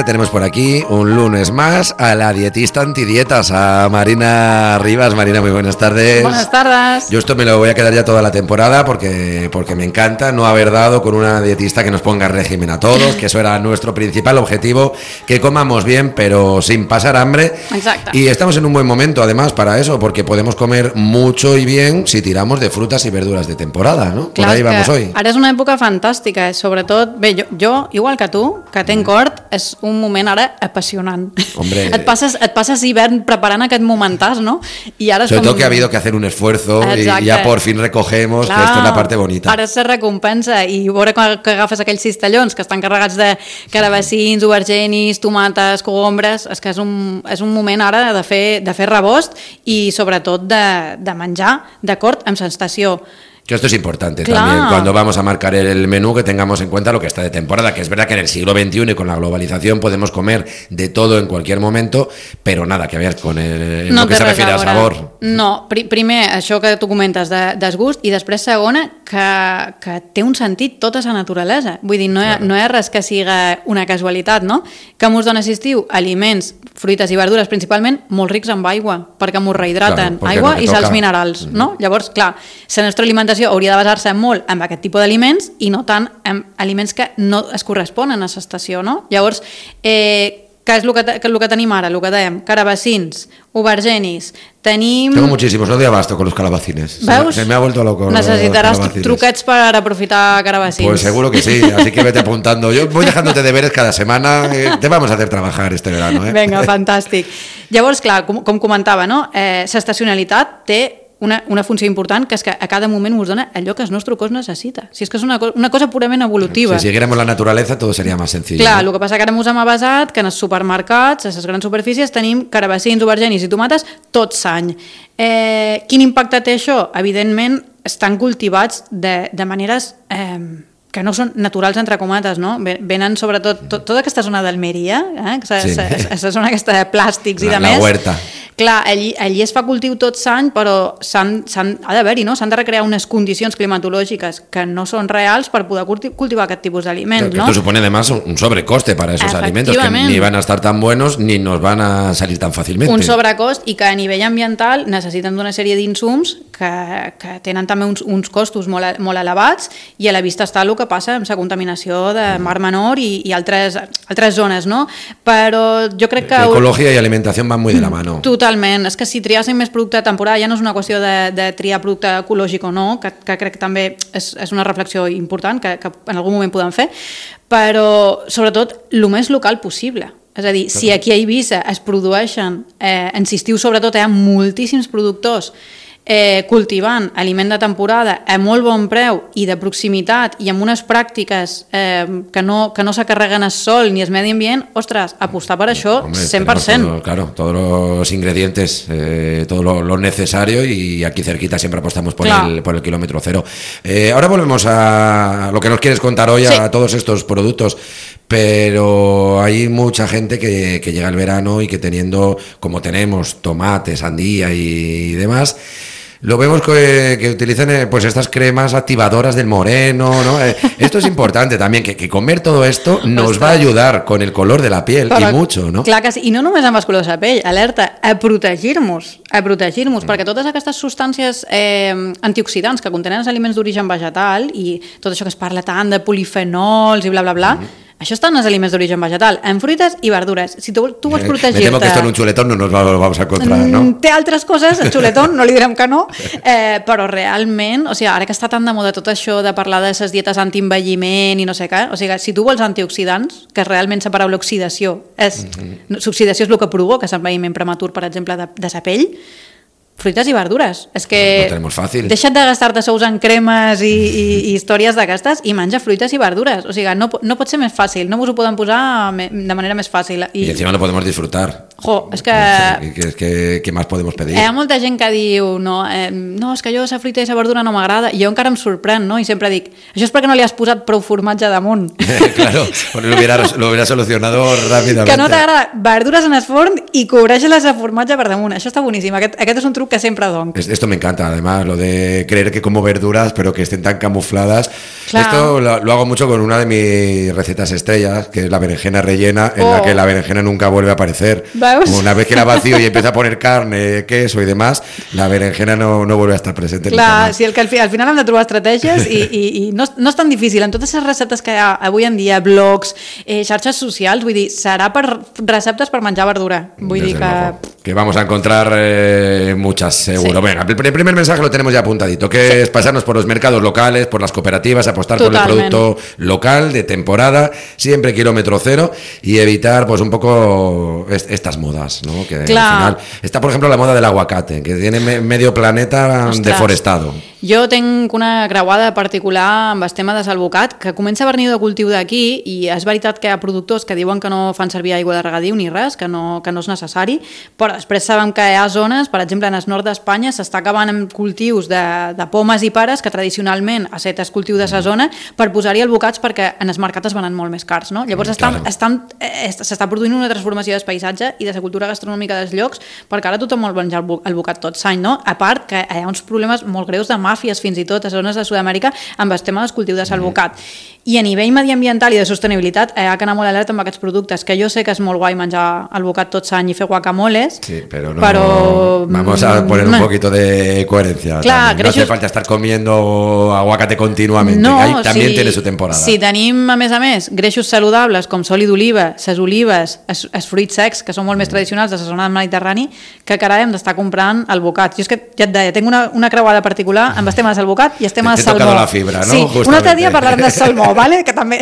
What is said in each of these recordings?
ya tenemos por aquí un lunes más a la dietista antidietas, a Marina Rivas. Marina, muy buenas tardes. Buenas tardes. Yo esto me lo voy a quedar ya toda la temporada porque me encanta no haber dado con una dietista que nos ponga régimen a todos, que eso era nuestro principal objetivo, que comamos bien pero sin pasar hambre. Exacto. Y estamos en un buen momento además para eso, porque podemos comer mucho y bien si tiramos de frutas y verduras de temporada, ¿no? Clar, por ahí vamos hoy. Ara és una època fantàstica, sobretot, bé, jo igual que tu, que tenc hort, és un moment ara apassionant. Hombre. Et passes hivern preparant aquest momentàs, ¿no? Y ara sobre todo que ha habido que hacer un esfuerzo. Exacte. Y ya por fin recogemos. Clar, que esto es la parte bonita. Ara se recompensa i veure que agafes aquells cistellons que estan carregats de carabassins, aubergenis, tomates, cogombres, és que és un moment ara de fer rebost i sobretot de menjar d'acord amb sensació. Que esto es importante también, cuando vamos a marcar el menú, que tengamos en cuenta lo que está de temporada, que es verdad que en el siglo XXI y con la globalización podemos comer de todo en cualquier momento, però nada, que veas con lo que se refiere al sabor. No, primer, això que tu comentes de desgust, i després segona, que té un sentit tota la naturalesa. Vull dir, no hi ha res que siga una casualitat, no? Que mos dona estiu aliments, fruites i verdures, principalment molt rics amb aigua, perquè mos rehidraten, aigua i sals minerals, no? Llavors, clar, la nostra alimentació hauria de basar-se molt en aquest tipus d'aliments i no tant en aliments que no es corresponen a l'estació, no? Llavors, què és el que tenim ara? El que dèiem, carabassins, aubergenis, tenim... Tengo muchísimos, no doy abasto con los calabacines. ¿Veus? Se me ha vuelto loco. Necesitaràs truquets per aprofitar carabassins. Pues seguro que sí, así que vete apuntando. Yo voy dejándote deberes cada semana, te vamos a hacer trabajar este verano. Vinga, fantàstic. Llavors, clar, com comentava, no? L'estacionalitat té una funció important, que és que a cada moment us dona allò que el nostre cos necessita. Si és que és una cosa purament evolutiva. Si siguiéramos la naturaleza todo sería más sencillo. Clar, el que passa que ara ens hem avasat que en els supermercats, a les grans superfícies, tenim carabassins, aubergenis i tomates tot l'any. Quin impacte té això? Evidentment, estan cultivats de maneres que no són naturals, entre comates, no? Venen sobretot tota aquesta zona d'Almeria, aquesta zona aquesta de plàstics i de més. La huerta. Clar, allí es fa cultiu tot l'any, però ha d'haver-hi, no? S'han de recrear unes condicions climatològiques que no són reals per poder cultivar aquest tipus d'aliments, ¿no? Esto supone además un sobrecoste para esos alimentos, que ni van a estar tan buenos ni nos van a salir tan fácilmente. Un sobrecost, i que a nivell ambiental necessiten d'una sèrie d'insums que tenen també uns costos molt elevats, i a la vista està el que passa amb la contaminació de Mar Menor i altres zones, no? Però jo crec que... Ecologia i alimentació van molt de la mano. Totalment. És que si triàssim més producte de temporada ja no és una qüestió de triar producte ecològic o no, que crec que també és una reflexió important que en algun moment podem fer, però sobretot el més local possible. És a dir, si aquí a Eivissa es produeixen, en l'estiu sobretot hi ha moltíssims productors cultivant aliment de temporada a molt bon preu i de proximitat i amb unes pràctiques que no se carreguen el sol ni el medi ambient, ostres, apostar per això 100%. Claro, todos los ingredientes, todo lo necesario, y aquí cerquita siempre apostamos por el kilómetro cero. Ahora volvemos a lo que nos quieres contar hoy, a todos estos productos, pero hay mucha gente que llega el verano y que teniendo, como tenemos, tomate, sandía y demás, lo vemos que utilizan pues estas cremas activadoras del moreno, ¿no? Esto es importante también, que comer todo esto nos va a ayudar con el color de la piel, però, i mucho, no? Clar que sí, i no només amb el color de la pell, alerta, a protegir-nos, perquè totes aquestes substàncies antioxidants que contenen els aliments d'origen vegetal i tot això que es parla tant de polifenols i bla, bla, bla, això està en els aliments d'origen vegetal, en fruites i verdures. Si tu vols protegir-te... Me temo que esto en un chuletón no nos lo vamos a encontrar, ¿no? Té altres coses, el chuletón, no li direm que no, però realment, o sigui, ara que està tan de moda tot això de parlar de les dietes antienvelliment i no sé què, o sigui, si tu vols antioxidants, que realment la paraula oxidació és... L'oxidació és el que provoca l'envelliment prematur, per exemple, de la pell, fruites i verdures. És que deixa't de gastar-te sous en cremes i històries d'aquestes i menja fruites i verdures. O sigui, no pot ser més fàcil, no us ho poden posar de manera més fàcil. I encima lo podemos disfrutar. És que... ¿Qué más podemos pedir? Hi ha molta gent que diu no, és que jo la fruita i la verdura no m'agrada, i jo encara em sorprèn, no? I sempre dic, això és perquè no li has posat prou formatge damunt. Claro, lo hubiera solucionado rápidamente. Que no t'agrada verdures en el forn i cobreix-les de formatge per damunt. Això està boníssim. Aquest és un truc que sempre dono. Esto me encanta, además, lo de creer que como verduras, pero que estén tan camufladas. Claro. Esto lo hago mucho con una de mis recetas estrellas, que es la berenjena rellena, en la que la berenjena nunca vuelve a aparecer. Una vez que la vacío y empieza a poner carne, queso y demás, la berenjena no vuelve a estar presente. Clar, sí, que al final hem de trobar estratègies i no és tan difícil. En totes les receptes que hi ha avui en dia, blogs, xarxes socials, vull dir, serà per receptes per menjar verdura. Vull dir que vamos a encontrar muchas, seguro. Sí. Venga, el primer mensaje lo tenemos ya apuntadito, que es pasarnos por los mercados locales, por las cooperativas, apostar por el producto local, de temporada, siempre kilómetro cero, y evitar pues un poco estas modas, ¿no? Que al final está, por ejemplo, la moda del aguacate, que tiene medio planeta deforestado. Jo tinc una creuada particular amb el tema de salvocat, que comença a venir de cultiu d'aquí, i és veritat que hi ha productors que diuen que no fan servir aigua de regadiu ni res, que no és necessari, però després sabem que hi ha zones, per exemple, en el nord d'Espanya s'està acabant amb cultius de pomes i pares, que tradicionalment ha estat el cultiu de la zona, per posar-hi albocats perquè en els mercats es venen molt més cars, no? Llavors s'està produint una transformació del paisatge i de la cultura gastronòmica dels llocs, perquè ara tothom vol menjar albocat tot l'any, no? A part que hi ha uns problemes molt greus de màfies, fins i tot a zones de Sud-amèrica, amb el tema del cultiu de salvocat. I a nivell mediambiental i de sostenibilitat hi ha que anar molt alerta amb aquests productes, que jo sé que és molt guai menjar albocat tot l'any i fer guacamoles, sí, pero vamos a poner un poquito de coherencia. Clar, no hace falta estar comiendo aguacate continuamente, que también tiene su temporada. Si tenim, a més, greixos saludables com l'oli d'oliva, les olives, els fruits secs, que són molt més tradicionals de la zona del Mediterrani, que carai hem d'estar comprant albocats. Jo és que ja et deia, tinc una creuada particular amb el tema de salvocat i el tema de salmó. T'he tocado la fibra, ¿no? Sí, un altre dia parlarem de salmó, ¿vale? Que també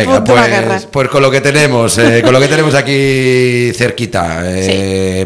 puc donar guerra. Pues con lo que tenemos aquí cerquita,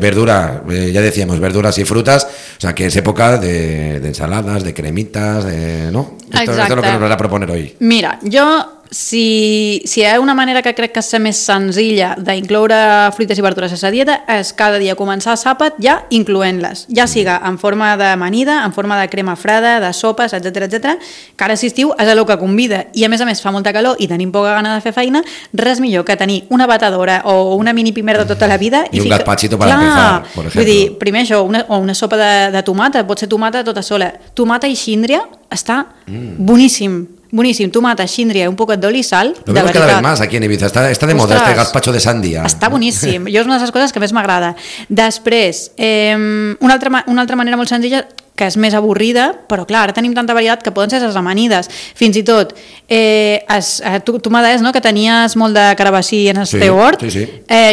verdura, ya decíamos, verduras y frutas, o sea que es época de ensaladas, de cremitas, ¿no? Esto es lo que nos vas a proponer hoy. Mira, jo si hi ha una manera que crec que és més senzilla d'incloure fruites i verdures a la dieta és cada dia començar l'àpat ja incloent-les, ja siga en forma d'amanida, en forma de crema freda, de sopes, etc, que ara si estiu és el que convida i a més fa molta calor i tenim poca gana de fer feina, res millor que tenir una batedora o una mini pimer de tota la vida i un gazpachito per empezar, por ejemplo. Vull dir, primer això, una sopa de tomata, pot ser tomata tota sola, tomata i xíndria està boníssim. Boníssim, tomata, xíndria, un poquet d'oli i sal. Lo vemos cada vez más aquí en Ibiza, está de moda este gazpacho de sandía. Està boníssim, jo és una de les coses que més m'agrada. Després, una altra manera molt senzilla, que és més avorrida, però clar, ara tenim tanta varietat que poden ser les amanides. Fins i tot, tu m'adés, no?, que tenies molt de carabassí en el teu hort. Sí.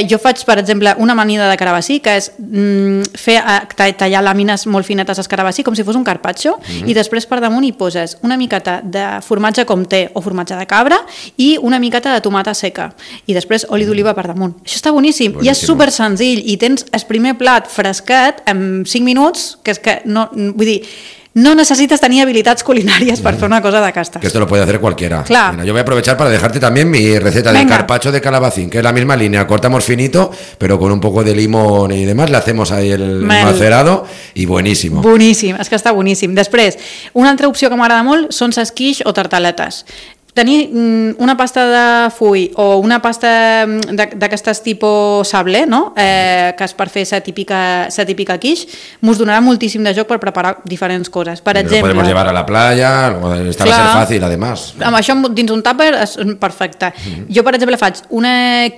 Jo faig, per exemple, una amanida de carabassí, que és tallar làmines molt finetes al carabassí, com si fos un carpaccio, i després per damunt hi poses una miqueta de formatge comté o formatge de cabra i una miqueta de tomata seca. I després oli d'oliva per damunt. Això està boníssim. I és super senzill. I tens el primer plat fresquet en 5 minuts, que és que no... Vull dir, no necesitas tenir habilitats culinàries per fer una cosa d'aquestes. Que esto lo puede hacer cualquiera. Claro. Mira, yo voy a aprovechar para dejarte también mi receta de carpaccio de calabacín, que es la misma línea, cortamos finito, pero con un poco de limón y demás, le hacemos ahí el macerado y buenísimo. Boníssim, és que està boníssim. Després, una altra opció que m'agrada molt són les quiche o tartaletes. Tenir una pasta de full o una pasta d'aquestes tipus sable, no? Que és per fer la típica quiche, mos donarà moltíssim de joc per preparar diferents coses. Per exemple, lo podemos llevar a la playa, esta va a ser fàcil, además. Amb això dins un tàper és perfecte. Jo, per exemple, faig una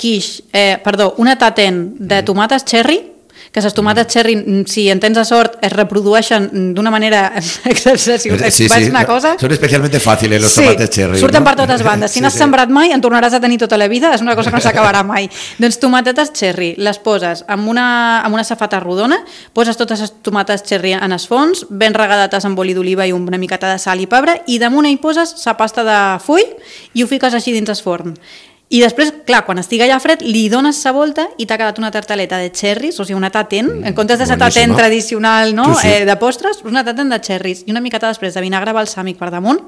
taten de tomates cherry, que les tomates cherry, si en tens a sort, es reprodueixen d'una manera excepcional. Sí, una cosa. Són especialmente fàcils los tomates cherry. Surten per totes bandes. Si no has sembrat mai, en tornaràs a tenir tota la vida, és una cosa que no s'acabarà mai. Doncs tomatetes cherry, les poses amb una safata rodona, poses totes les tomates cherry en el fons, ben regadates amb oli d'oliva i una miqueta de sal i pebre, i damunt hi poses la pasta de full i ho fiques així dins el forn. I després, clar, quan estigui allà fred, li dones la volta i t'ha quedat una tartaleta de cherries, o sigui, una taten, en comptes de la taten tradicional, no? Sí. De postres, una taten de cherries i una miqueta després de vinagre balsàmic per damunt,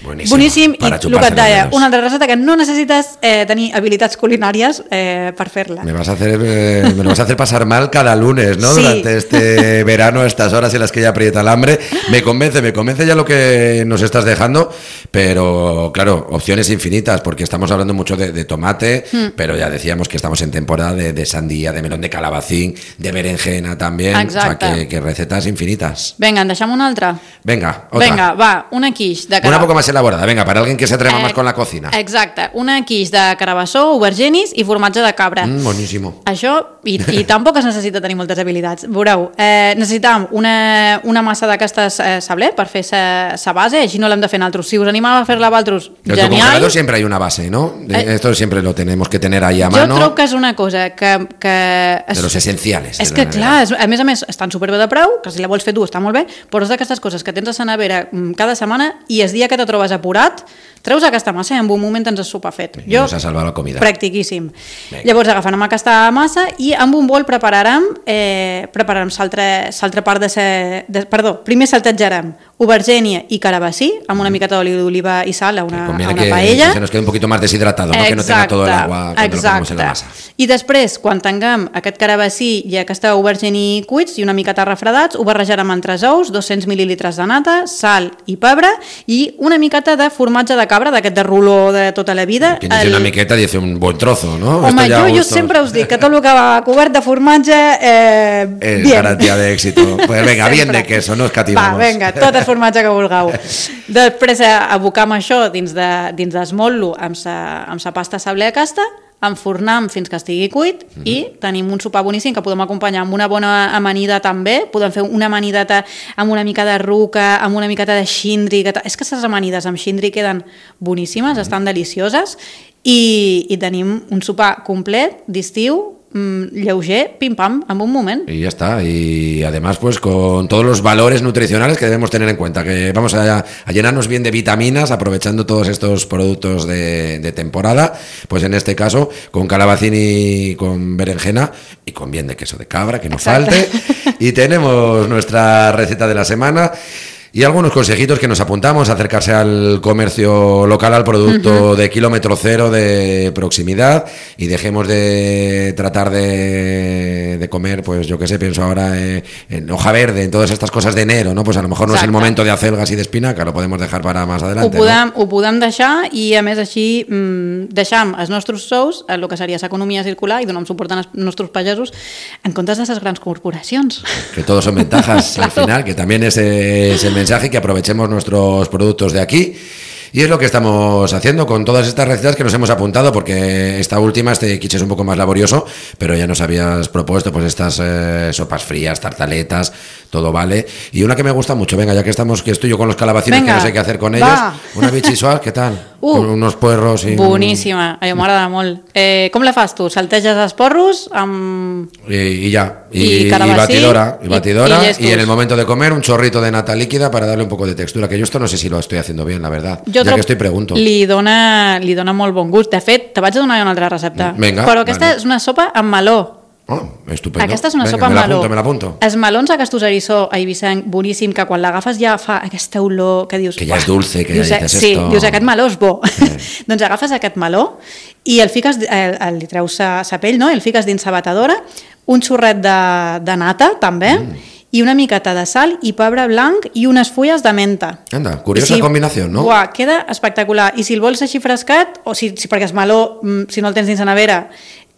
Boníssim, i el que et deia, una altra receta que no necessites tenir habilitats culinàries per fer-la. Me lo vas a hacer pasar mal cada lunes, ¿no? Sí. Durante este verano, a estas horas en las que ya aprieta el hambre. Me convence ya lo que nos estás dejando, pero claro, opciones infinitas, porque estamos hablando mucho de tomate, pero ya decíamos que estamos en temporada de sandía, de melón de calabacín, de berenjena también. Exacte. O sea, que recetas infinitas. Venga, en deixem una altra. Venga, otra. Venga, va, una quiche de una poco más elaborada, venga, para alguien que se atreva más con la cocina. Exacte, una quiche de carabassó, aubergines i formatge de cabra. Boníssimo. Això, i tampoc es necessita tenir moltes habilitats. Veureu, necessitam una massa d'aquestes sablé per fer sa base, així no l'hem de fer nosaltres. Si us animava a fer-la vosaltres, genial. En tu congelador siempre hay una base, ¿no? Esto siempre lo tenemos que tener ahí a mano. Jo trobo que és una cosa que de los esenciales. És que, clar, a més, estan superbé de preu, que si la vols fer tu està molt bé, però és d'aquestes coses que tens a la nevera cada setmana i el dia que te trobes apurat, treus aquesta massa i en un moment tens el sopar fet. Nos ha salvat la comida. Practiquíssim. Llavors agafem aquesta massa i amb un bol prepararem l'altra part primer saltejarem aubergínia i carabassí amb una miqueta d'oli d'oliva i sal a una paella. Que se nos quede un poquito más deshidratado, ¿no? Que no tenga todo el agua cuando lo ponemos en la masa. I després, quan tinguem aquest carabassí i aquesta aubergínia cuits i una miqueta refredats, ho barrejarem amb 3 ous, 200 mil·lilitres de nata, sal i pebre i una miqueta de formatge de cabra, d'aquest de ruló de tota la vida. Quien dice una miqueta dice un buen trozo, ¿no? Home, jo sempre us dic que tot el que va cobert de formatge es bien. Garantía de éxito. Pues venga, bien de queso, no escatimamos. Va, venga, tot el formatge que vulgueu. Després abocam això dins d'esmotlo amb sa pasta sablé aquesta, enfornem fins que estigui cuit i tenim un sopar boníssim que podem acompanyar amb una bona amanida també. Podem fer una amanideta amb una mica de ruca, amb una miqueta de xindri. És que les amanides amb xindri queden boníssimes, estan delicioses i tenim un sopar complet d'estiu, lleuger, pim pam, en un moment. Y ya está, y además pues con todos los valores nutricionales que debemos tener en cuenta, que vamos a llenarnos bien de vitaminas aprovechando todos estos productos de temporada, pues en este caso con calabacín y con berenjena y con bien de queso de cabra, que no falte. Y tenemos nuestra receta de la semana. Y algunos consejitos que nos apuntamos, acercarse al comercio local, al producto de kilómetro cero, de proximidad, y dejemos de tratar de comer, pues yo qué sé, pienso ahora en hoja verde, en todas estas cosas de enero, ¿no? Pues a lo mejor no es el momento de acelgas y de espinaca, lo podemos dejar para más adelante. Ho podem deixar i a més així deixam els nostres sous, el que seria l'economia circular i donem suport als nostres pagesos en comptes de les grans corporacions. Que todos son ventajas al final, que también es el mensaje, que aprovechemos nuestros productos de aquí. Y es lo que estamos haciendo con todas estas recetas que nos hemos apuntado, porque esta última, este quiche es un poco más laborioso, pero ya nos habías propuesto pues estas sopas frías, tartaletas, todo vale. Y una que me gusta mucho, venga, ya que estoy yo con los calabacines, que no sé qué hacer con ellos, una bichisual, ¿qué tal? Con unos puerros i... Boníssima, a mi m'agrada molt. Com la fas tu? Salteges els porros amb... I ya, y batidora, y en el momento de comer un chorrito de nata líquida para darle un poco de textura, que yo esto no sé si lo estoy haciendo bien, la verdad. Ja que estoy pregunto. Li dona molt bon gust. De fet, te vaig a donar una altra recepta. Venga, però aquesta és una sopa amb meló. Oh, estupendo. Aquesta és una sopa amb meló. Me l'apunto. Els melons aquests eriçó eivissenc, boníssim, que quan l'agafes ja fa aquesta olor que dius... Que ja és dulce, que ja dices sí, esto... Sí, dius, aquest meló és bo. Doncs agafes aquest meló i el fiques, li treus sa pell, no? El fiques dins la batedora, un xorret de nata, també, i una miqueta de sal i pebre blanc i unes fulles de menta. Anda, curiosa combinació, no? Uah, queda espectacular. I si el vols així frescat, o perquè el meló, si no el tens dins la nevera,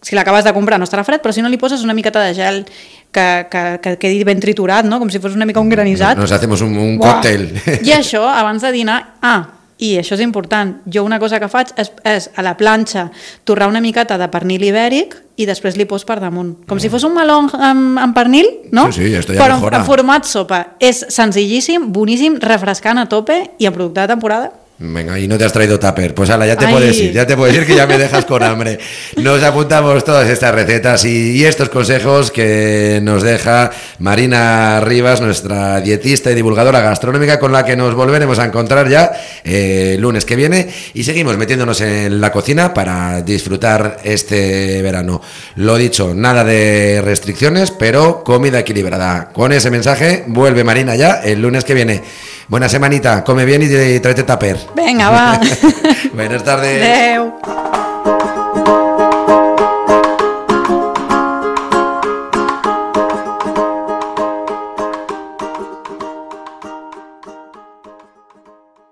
si l'acabes de comprar no estarà fred, però si no li poses una miqueta de gel que quedi ben triturat, no? Com si fos una mica un granissat. Nos hacemos un còctel. I això, abans de dinar... I això és important, jo una cosa que faig és a la planxa torrar una miqueta de pernil ibèric i després li pos per damunt. Com si fos un meló amb pernil, no? Sí, esto ya però mejora. En format sopa. És senzillíssim, boníssim, refrescant a tope i en producte de temporada. Venga, y no te has traído tupper. Pues ala, ya te puedes ir que ya me dejas con hambre. Nos apuntamos todas estas recetas y estos consejos que nos deja Marina Rivas, nuestra dietista y divulgadora gastronómica, con la que nos volveremos a encontrar ya el lunes que viene y seguimos metiéndonos en la cocina para disfrutar este verano. Lo dicho, nada de restricciones, pero comida equilibrada. Con ese mensaje vuelve Marina ya el lunes que viene. Buena semanita, come bien y tráete tupper. Venga, va. Buenas tardes. Adeu.